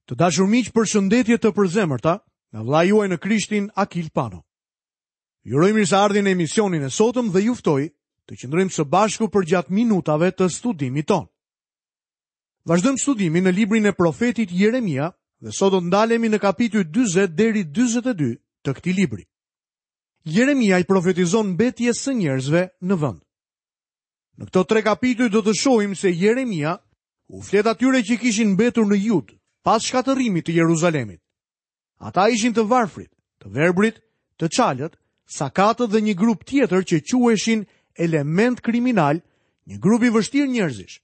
Të dashur miq, përshëndetje të përzemërta nga vëllai juaj në Krishtin Akil Pano. Ju uroj mirëseardhjen në emisionin e sotëm dhe ju ftoj të qëndrojmë së bashku përgjatë minutave të studimit tonë. Vazhdojmë studimin në librin e profetit Jeremia dhe sot do të ndalemi në kapitujt 40 deri 42 të këtij libri. Jeremia i profetizon mbetjes së njerëzve në vend. Në këto tre kapituj do të shohim se Jeremia u flet atyre që kishin mbetur në Judë, pas shkatërrimit të Jeruzalemit. Ata ishin të varfrit, të verbrit, të çalët, sakatët dhe një grup tjetër që quheshin elementë kriminalë, një grup i vështirë njerëzish.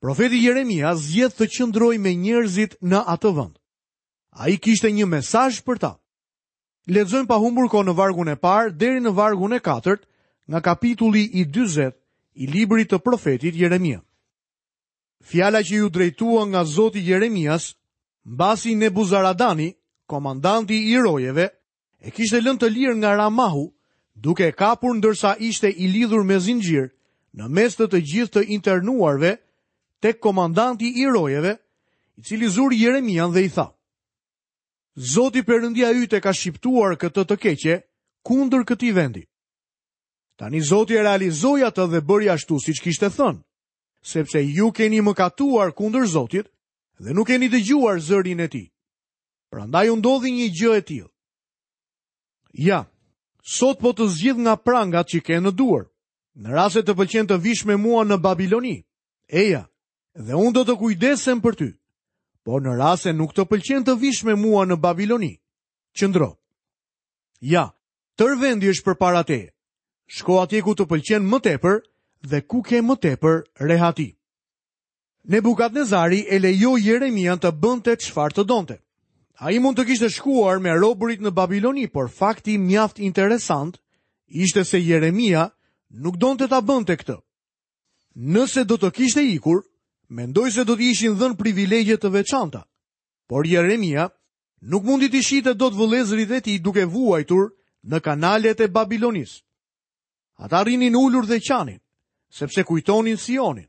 Profeti Jeremia zgjedh të qëndrojë me njerëzit në atë vend. Ai kishte një mesazh për ta. Lexojmë pa humbur kohë në vargun e parë deri në vargun e katërt nga kapitulli i 40 i librit të profetit Jeremia. Fjala që iu drejtua nga Zoti Jeremias, mbasi Nebuzaradani, komandanti i rojeve, e kishte lënë të lirë nga Ramahu, duke e kapur ndërsa ishte i lidhur me zinxhir, në mes të të gjithë të internuarve, tek komandanti i rojeve, i cili zuri Jeremian dhe i tha: Zoti Perëndia yt e ka shqiptuar këtë të keqe kundër këtij vendi. Tani Zoti e realizoi atë dhe bëri ashtu siç kishte thënë, sepse ju keni mëkatuar kundër Zotit dhe nuk keni dëgjuar zërin e tij. Prandaj ju ndodhi një gjë e tillë. Ja, sot po të zgjidh nga prangat që ke në duar. Në rast se të pëlqen të vish me mua në Babiloni, eja, dhe unë do të kujdesem për ty. Por në rast se nuk të pëlqen të vish me mua në Babiloni, qëndro. Ja, tërë vendi është përpara teje. Shko atje ku të pëlqen më tepër dhe ku ke më tepër rehati. Nebukadnezari e lejoi Jeremian të bënte çfarë të donte. Ai mund të kishte shkuar me robërit në Babiloni, por fakti mjaft interesant ishte se Jeremia nuk donte ta bënte këtë. Nëse do të kishte ikur, mendoj se do t'i ishin dhënë privilegje të veçanta. Por Jeremia nuk mundi t'i shihte dot vëllezërit e tij duke vuajtur në kanalet e Babilonisë. Ata rrinin ulur dhe qanin, sepse kujtonin Sionin.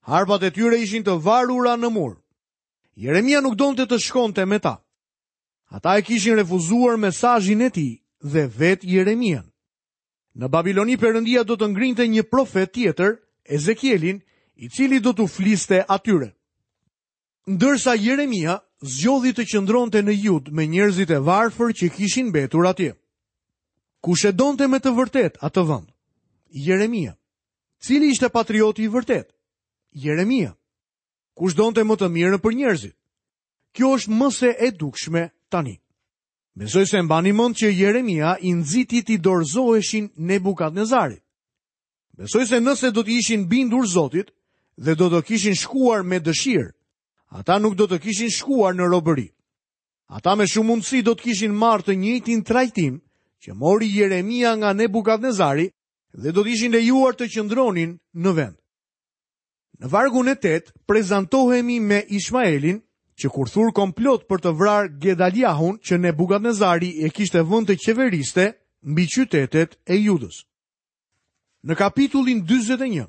Harpat e tyre ishin të varura në mur. Jeremia nuk donte të shkonte me ta. Ata e kishin refuzuar mesazhin e tij dhe vetë Jeremian. Në Babiloni Perëndia do të ngrinte një profet tjetër, Ezekielin, i cili do t'u fliste atyre. Ndërsa Jeremia zgjodhi të qëndronte në Judë me njerëzit e varfër që kishin mbetur atje. Kush e donte me të vërtetë atë vend? Jeremia. Cili ishte patrioti i vërtetë? Jeremia. Kush donte më të mirën për njerëzit? Kjo është më se e dukshme tani. Besoj se e mbani mend që Jeremia i nxiti t'i dorëzoheshin Nebukadnezarit. Besoj se nëse do t'i ishin bindur Zotit dhe do të kishin shkuar me dëshirë, ata nuk do të kishin shkuar në robëri. Ata me shumë mundësi do të kishin marrë të njëjtin trajtim që mori Jeremia nga Nebukadnezari dhe do të ishin lejuar të qëndronin në vend. Në vargun e 8 prezantohemi me Ishmaelin, që kur thur komplot për të vrarë Gedaliahun që Nebukadnezari e kishte vënë të qeveriste mbi qytetet e Judës. Në kapitullin 41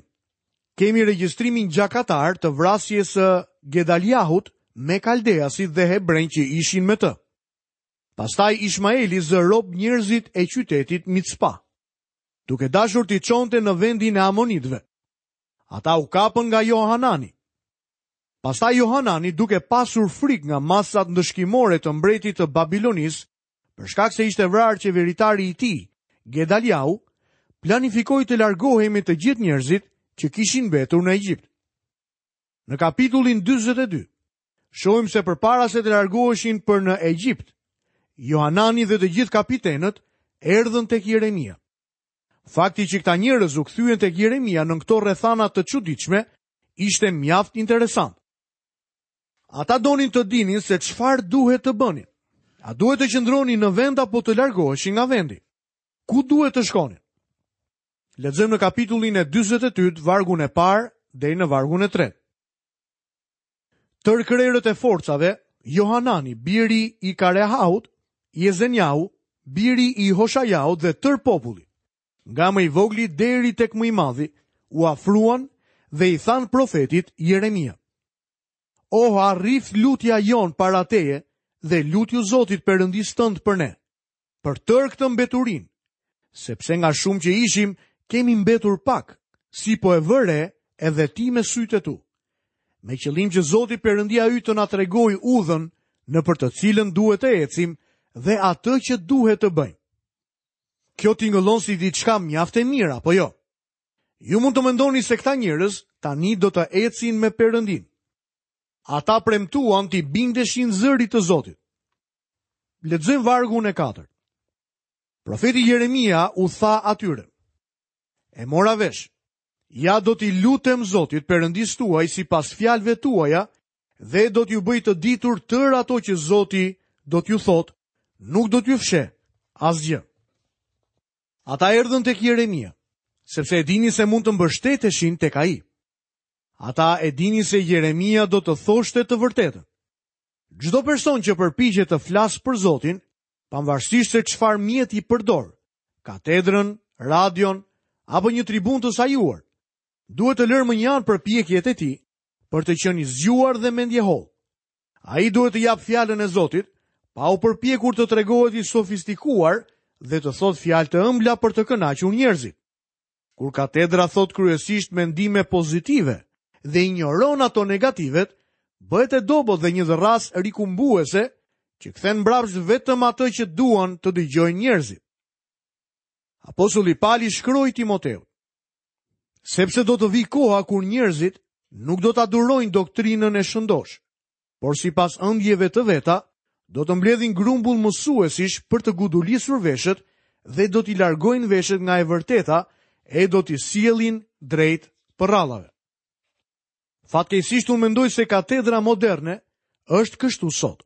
kemi regjistrimin gjakatar të vrasjes së Gedaliahut me kaldeasit dhe hebrenjtë që ishin me të. Pastaj Ishmaeli zë rob njerëzit e qytetit Micpa, duke dashur t'i çonte në vendin e Amonitëve. Ata u kapën nga Johanani. Pastaj Johanani duke pasur frikë nga masat ndëshkimore të mbretit të Babilonisë, për shkak se ishte vrarë qeveritari i tij, Gedaliahu, planifikoi të largohej me të gjithë njerëzit që kishin mbetur në Egjipt. Në kapitullin 42, shohim se përpara se të largoheshin për në Egjipt, Johanani dhe të gjithë kapitenët erdhën tek Jeremia. Fakti që këta njerëz u kthyen tek Jeremia në këto rrethana të çuditshme ishte mjaft interesant. Ata donin të dinin se çfarë duhet të bënin. A duhet të qëndronin në vend apo të largoheshin nga vendi? Ku duhet të shkonin? Lexojmë në kapitullin e 42, vargun e parë deri në vargun e tretë. Tërë krerët e forcave, Johanani, biri i Karehahut, Jezenjahu, biri i Hoshajahut dhe tërë populli, nga më i vogli deri tek më i madhi, u afruan dhe i thanë profetit Jeremia. Oh, arriftë lutja jonë para teje dhe lutju Zotit Perëndisë tënd për ne, për tërë këtë mbeturinë, sepse nga shumë që ishim, kemi mbetur pak, si po e vë re edhe ti me sytë e tu. Me qëllim që Zoti Perëndia yt të na tregojë udhën nëpër të cilën duhet të ecim dhe atë që duhet të bëjmë. Kjo tingëllon si diçka mjaft e mirë, apo jo? Ju mund të mendoni se këta njerëz tani do të ecin me Perëndinë. Ata premtuan t'i bindeshin zërit të Zotit. Lexojmë vargun e katërt. Profeti Jeremia u tha atyre: E mora vesh. Ja do t'i lutem Zotit Perëndisë tuaj sipas fjalëve tuaja dhe do t'ju bëj të ditur tërë ato që Zoti do t'ju thotë, nuk do t'ju fsheh asgjë. Ata erdhën tek Jeremia, sepse e dinin se mund të mbështeteshin tek ai. Ata e dinin se Jeremia do të thoshte të vërtetën. Çdo person që përpiqet të flasë për Zotin, pavarësisht se çfarë mjeti përdor, katedrën, radion apo një tribunë të sajuar, duhet të lërë mënjanë përpjekjet e tij për të qenë i zgjuar dhe mendjehollë. Ai duhet të japë fjalën e Zotit, pa u përpjekur të tregohet i sofistikuar dhe të thotë fjalë të ëmbla për të kënaqur njerëzit. Kur katedra thotë kryesisht mendime pozitive dhe injoron ato negativet, bëhet e dobët dhe një dërrasë rikumbuese që kthen mbrapsht vetëm atë që duan të dëgjojnë njerëzit. Apostulli Pal i shkroi Timoteut: Sepse do të vijë koha kur njerëzit nuk do ta durojnë doktrinën e shëndoshë, por sipas ëndjeve të veta, do të mbledhin grumbull mësuesish për të gudulisur veshët dhe do t'i largojnë veshët nga e vërteta e do t'i sjellin drejt përrallave. Fatkeqësisht unë mendoj se katedra moderne është kështu sot.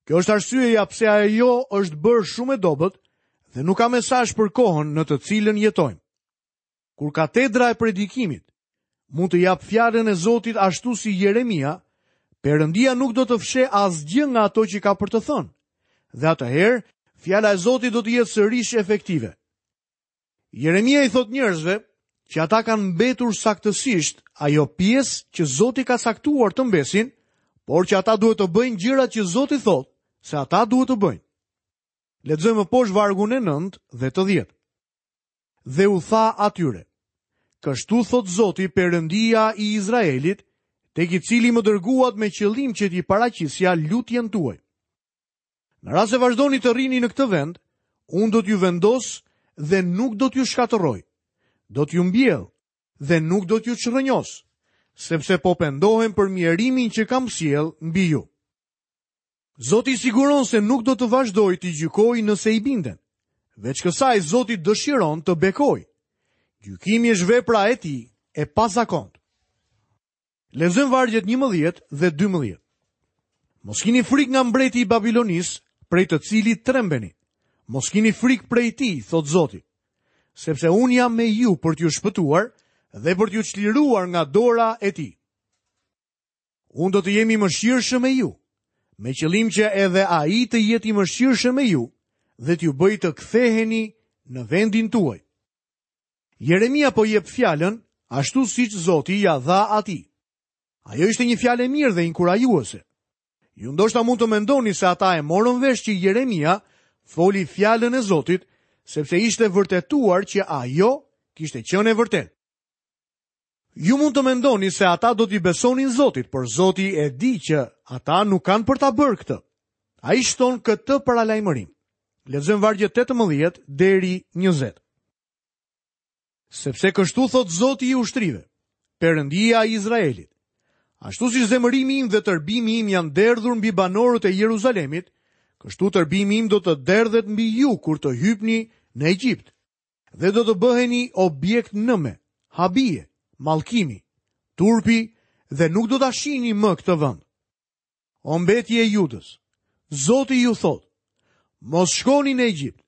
Kjo është arsyeja pse ajo është bërë shumë e dobët dhe nuk ka mesazh për kohën në të cilën jetojmë. Kur katedra e predikimit mund të japë fjalën e Zotit ashtu si Jeremia, Perëndia nuk do të fshehë asgjë nga ato që ka për të thënë. Dhe atëherë, fjala e Zotit do të jetë sërish efektive. Jeremia i thotë njerëzve që ata kanë mbetur saktësisht ajo pjesë që Zoti ka caktuar të mbesin, por që ata duhet të bëjnë gjërat që Zoti thotë se ata duhet të bëjnë. Lexojmë më poshtë vargun e 9 dhe të 10. Dhe u tha atyre, Kështu thotë Zoti Perëndia i Izraelit, tek i cili më dërguat me qëllim që t'i paraqisja lutjen tuaj. Në rast se vazhdoni të rrini në këtë vend, unë do t'ju vendos dhe nuk do t'ju shkatërroj. Do t'ju mbjell dhe nuk do t'ju çrrënjos, sepse po pendohem për mjerimin që kam sjellë mbi ju. Zoti i siguron se nuk do të vazhdojë t'i gjykojë nëse i binden. Veç kësaj, Zoti dëshiron të bekojë. Gjykimi është vepra e tij e pazakontë. Lexojmë vargjet 11 dhe 12. Mos kini frikë nga mbreti i Babilonisë, prej të cilit trembeni. Mos kini frikë prej tij, thotë Zoti, sepse unë jam me ju për t'ju shpëtuar dhe për t'ju çliruar nga dora e tij. Unë do të jem i mëshirshëm me ju, me qëllim që edhe ai të jetë i mëshirshëm me ju dhe t'ju bëjë të ktheheni në vendin tuaj. Jeremia po jep fjalën ashtu siç Zoti ia dha atij. Ajo ishte një fjalë e mirë dhe inkurajuese. Ju ndoshta mund të mendoni se ata e morën vesh që Jeremia foli fjalën e Zotit, sepse ishte vërtetuar që ajo kishte qenë e vërtetë. Ju mund të mendoni se ata do t'i besonin Zotit, por Zoti e di që ata nuk kanë për ta bërë këtë. Ai shton këtë paralajmërim. Lexojmë vargjet 18 deri 20. Sepse kështu thotë Zoti i ushtrive, Perëndia i Izraelit. Ashtu si zemërimi im dhe tërbimi im janë derdhur mbi banorët e Jeruzalemit, kështu tërbimi im do të derdhet mbi ju kur të hypni në Egjipt. Dhe do të bëheni objekt nëme, habie, mallkimi, turpi dhe nuk do ta shihni më këtë vend. O mbetje e Judës, Zoti ju thotë, mos shkoni në Egjipt.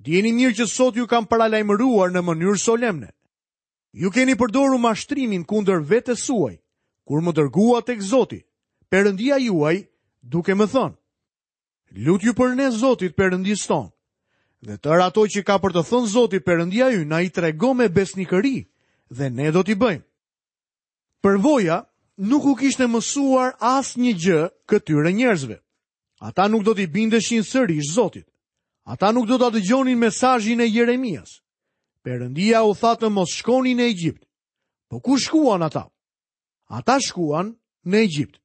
Dijeni mirë që sot ju kam paralajmëruar në mënyrë solemne. Ju keni përdorur mashtrimin kundër vetes suaj, kur më dërguat tek Zoti, Perëndia juaj, duke më thënë, Lutju për ne Zotit Perëndisë tonë. Dhe tërë ato që ka për të thënë Zoti Perëndia ynë na i trego me besnikëri dhe ne do t'i bëjmë. Përvoja nuk u kishte mësuar asnjë gjë këtyre njerëzve. Ata nuk do t'i bindeshin sërish Zotit. Ata nuk do ta dëgjonin mesazhin e Jeremias. Perëndia u tha të mos shkonin në Egjipt. Po ku shkuan ata? Ata shkuan në Egjipt.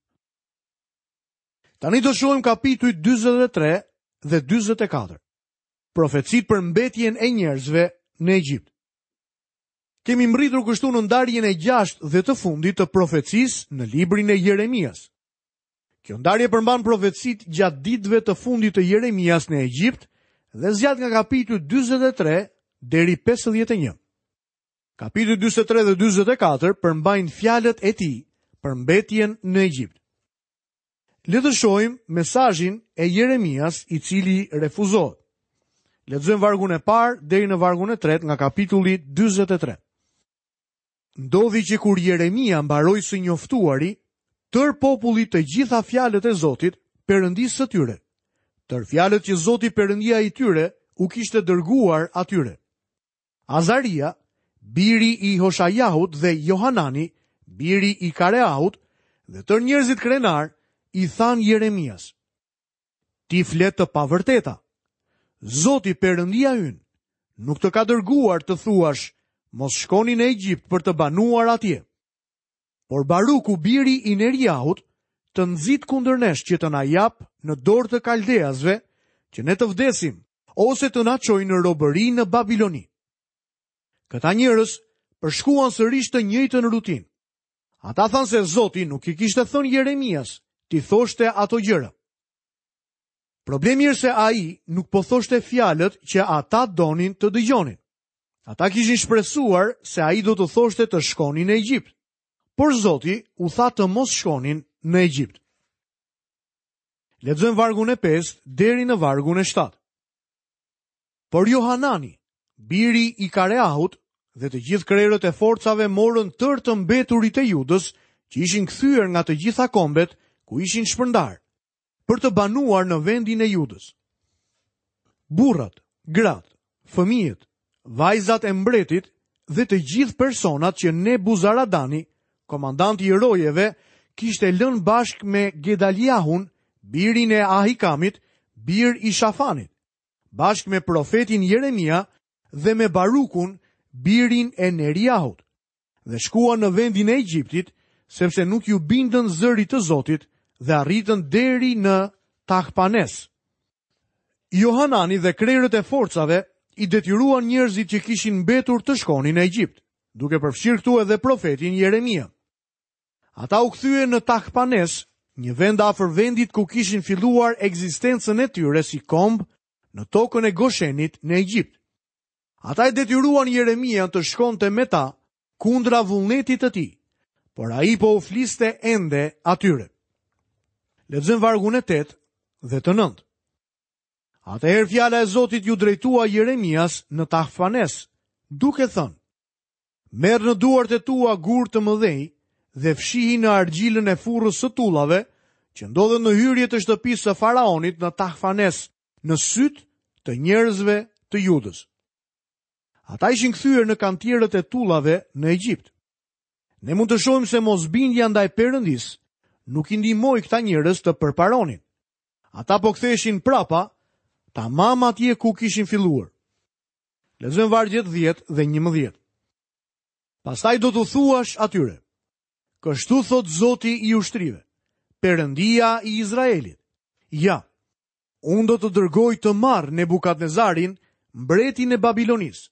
Tani do shohim kapitujt 43 dhe 44. Profecitë për mbetjen e njerëzve në Egjipt. Kemi mbërritur kështu në ndarjen e gjashtë dhe të fundit të profecisë në librin e Jeremias. Kjo ndarje përmban profecitë gjatë ditëve të fundit të Jeremias në Egjipt dhe zgjat nga kapitulli 43 deri 51. Kapitujt 43 dhe 44 përmbajnë fjalët e tij për mbetjen në Egjipt. Le të shohim mesazhin e Jeremias i cili refuzohet. Lexojmë vargun e parë deri në vargun e tretë nga kapitulli 43. Ndodhi që kur Jeremia mbaroi së njoftuari tërë popullit të gjitha fjalët e Zotit, Perëndisë së tyre, tërë fjalët që Zoti Perëndia i tyre u kishte dërguar atyre. Azaria, biri i Hoshajahut dhe Johanani, biri i Kareahut, dhe tërë njerëzit krenarë i thanë Jeremias: Ti flet të pavërteta. Zoti Perëndia ynë nuk të ka dërguar të thuash, mos shkoni në Egjipt për të banuar atje. Por Baruku biri i Neriahut të nxit kundër nesh që të na japë në dorë të kaldeasve, që ne të vdesim ose të na çojë në robëri në Babiloni. Këta njerëz përshkuan sërish të njëjtën rutinë. Ata thanë se Zoti nuk i kishte thënë Jeremias t'i thoshte ato gjëra. Problemi është se ai nuk po thoshte fjalët që ata donin të dëgjonin. Ata kishin shpresuar se ai do t'u thoshte të shkonin në Egjipt. Por Zoti u tha të mos shkonin në Egjipt. Lexojmë vargun e 5 deri në vargun e 7. Por Johanani, biri i Kareahut, dhe të gjithë krerët e forcave morën tërë të mbeturit e Judës, që ishin kthyer nga të gjitha kombet ku ishin shpërndarë, për të banuar në vendin e Judës. Burrat, gratë, fëmijët, vajzat e mbretit dhe të gjithë personat që Nebuzaradani, komandanti i rojeve, kishte lënë bashkë me Gedaliahun, birin e Ahikamit, bir i Shafanit, bashkë me profetin Jeremia dhe me Barukun, birin e Neriahut. Dhe shkuan në vendin e Egjiptit, sepse nuk iu bindën zërit të Zotit dhe arritën deri në Tahpanes. Johanani dhe krerët e forcave i detyruan njerëzit që kishin mbetur të shkonin në Egjipt, duke përfshirë këtu edhe profetin Jeremia. Ata u kthyen në Tahpanes, një vend afër vendit ku kishin filluar ekzistencën e tyre si komb në tokën e Goshenit në Egjipt. Ata e detyruan Jeremian të shkonte me ta kundra vullnetit të tij, por ai po u fliste ende atyre. Lexojmë vargun e 8 dhe të 9. Atëherë fjala e Zotit iu drejtua Jeremias në Tahfanes, duke thënë: Merr në duart e tua gurë të mëdhenj dhe fshihi në argjilën e furrës së tullave, që ndodhet në hyrje të shtëpisë së faraonit në Tahfanes, në sytë të njerëzve të Judës. Ata ishin kthyer në kantierët e tullave në Egjipt. Ne mund të shohim se mosbindja ndaj Perëndisë nuk i ndihmoi këta njerëz të përparonin. Ata po ktheheshin prapa, tamam atje ku kishin filluar. Lexojmë vargjet 10 dhe 11. Pastaj do t'u thuash atyre: Kështu thotë Zoti i ushtrive, Perëndia i Izraelit. Ja, Unë do të dërgoj të marr Nebukadnezarin, mbretin e Babilonisë,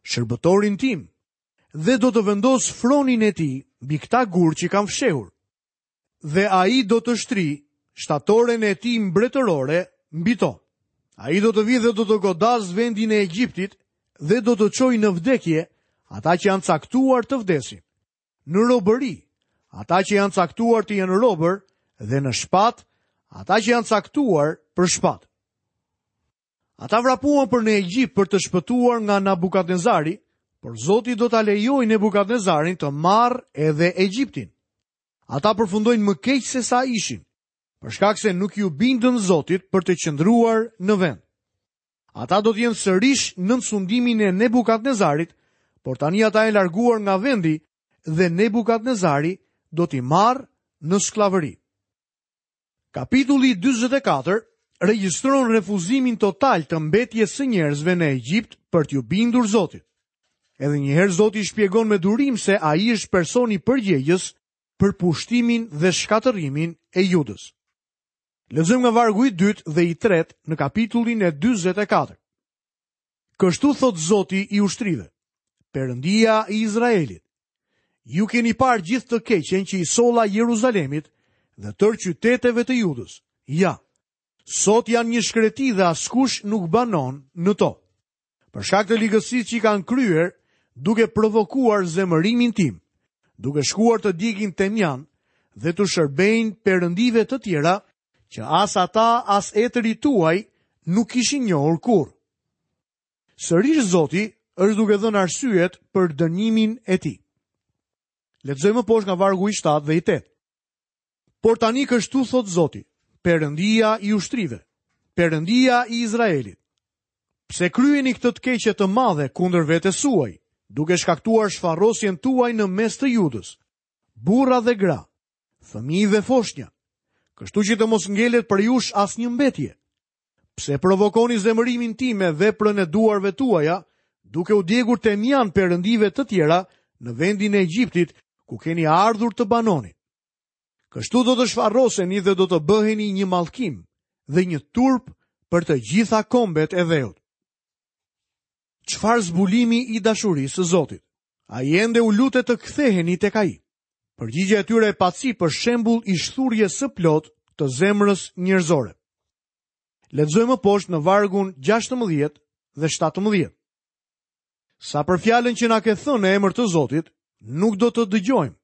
shërbëtorin tim, dhe do të vendos fronin e tij mbi këta gurë që kam fshehur. Dhe ai do të shtrijë shtatoren e tij mbretërore mbi to. Ai do të vijë dhe do të godasë vendin e Egjiptit dhe do të çojë në vdekje ata që janë caktuar të vdesin. në robëri, ata që janë caktuar të jenë robër dhe në shpatë, ata që janë caktuar për shpatë. Ata vrapuan për në Egjipt për të shpëtuar nga Nabukadnezari, por Zoti do ta lejojë Nebukadnezarin të marrë edhe Egjiptin. Ata përfundojnë më keq se sa ishin, për shkak se nuk iu bindën Zotit për të qëndruar në vend. Ata do të jenë sërish nën sundimin e Nebukadnezarit, por tani ata janë larguar nga vendi dhe Nebukadnezari do t'i marrë në skllavëri. Kapitulli 44 regjistron refuzimin total të mbetjes së njerëzve në Egjipt për t'iu bindur Zotit. Edhe një herë Zoti shpjegon me durim se ai është personi përgjegjës për pushtimin dhe shkatërrimin e Judës. Lexojmë nga vargu i dytë dhe i tretë në kapitullin e 44. Kështu thotë Zoti i ushtrive, Perëndia i Izraelit. Ju keni parë gjithë të keqen që i solla Jeruzalemit dhe tërë qyteteve të Judës. Ja, sot janë një shkreti dhe askush nuk banon në to. Për shkak të ligësisë që i kanë kryer, duke provokuar zemërimin tim, duke shkuar të djegin temjan dhe t'u shërbejnë perëndive të tjera që as ata as etërit tuaj nuk kishin njohur kurrë. Sërish Zoti është duke dhënë arsyet për dënimin e tij. Lexojmë më poshtë nga vargu i 7 dhe i 8. Por tani kështu thotë Zoti, Perëndia i ushtrive, Perëndia i Izraelit. Pse kryeni këtë të keqe të madhe kundër vetes suaj, duke shkaktuar shfarosjen tuaj në mes të Judës, burra dhe gra, fëmijë dhe foshnja, kështu që të mos ngelet prej jush asnjë mbetje. Pse provokoni zemërimin tim me veprën e duarve tuaja, duke u djegur temjan perëndive të tjera në vendin e Egjiptit, ku keni ardhur të banoni? Kështu do të shfaroseni dhe do të bëheni një mallkim dhe një turp për të gjitha kombet e dheut. Çfarë zbulimi i dashurisë së Zotit? Ai ende u lutet të ktheheni tek ai. Përgjigja e tyre e pacipë është shembull i shthurjes së plotë të zemrës njerëzore. Lexojmë më poshtë në vargun 16 dhe 17. Sa për fjalën që na ke thënë në emër të Zotit, nuk do të dëgjojmë,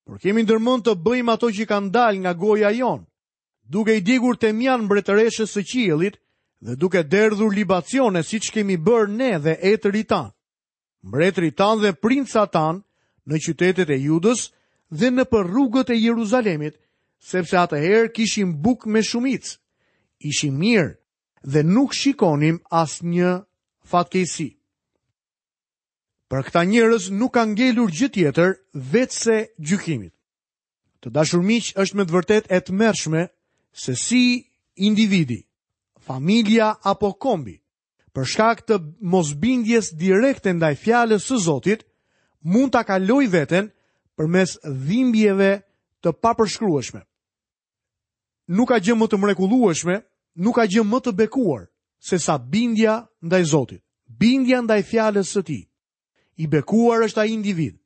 por kemi ndërmend të bëjmë ato që kanë dalë nga goja jonë, duke i djegur temjan mbretëreshës së qiellit dhe duke derdhur libacione siç kemi bërë ne dhe etërit tanë. Mbretërit tanë dhe princat tanë në qytetet e Judës dhe nëpër rrugët e Jeruzalemit, sepse atëherë kishim bukë me shumicë, ishim mirë dhe nuk shikonim asnjë fatkeqësi. Për këta njerëz nuk ka ngelur gjë tjetër veçse gjykimit. Të dashur miq, është me të vërtetë e tmerrshme se si individi, familja apo kombi për shkak të mosbindjes direkte ndaj fjalës së Zotit, mund ta kalojë veten përmes dhimbjeve të papërshkrueshme. Nuk ka gjë më të mrekullueshme, nuk ka gjë më të bekuar sesa bindja ndaj Zotit, bindja ndaj fjalës së tij. I bekuar është ai individ,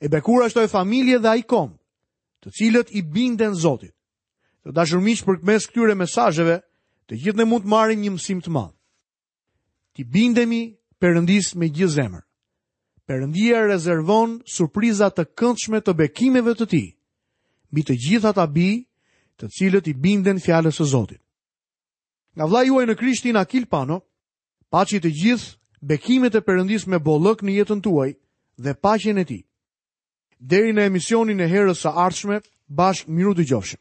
e bekuar është ajo familje dhe ai komb, të cilët i binden Zotit. Të dashur miq, përmes këtyre mesazheve, të gjithë ne mund të marrim një mësim të madh. T'i bindemi Perëndisë me gjithë zemër. Perëndia rezervon surpriza të këndshme të bekimeve të tij mbi të gjithë ata bij, të cilët i binden fjalës së Zotit. Nga vëllai juaj në Krishtin Akil Pano, paçi të gjithë bekimet e Perëndisë me bollëk në jetën tuaj dhe paqen e tij. Deri në emisionin e herës së ardhshme, bashkë mirudëgjofshim.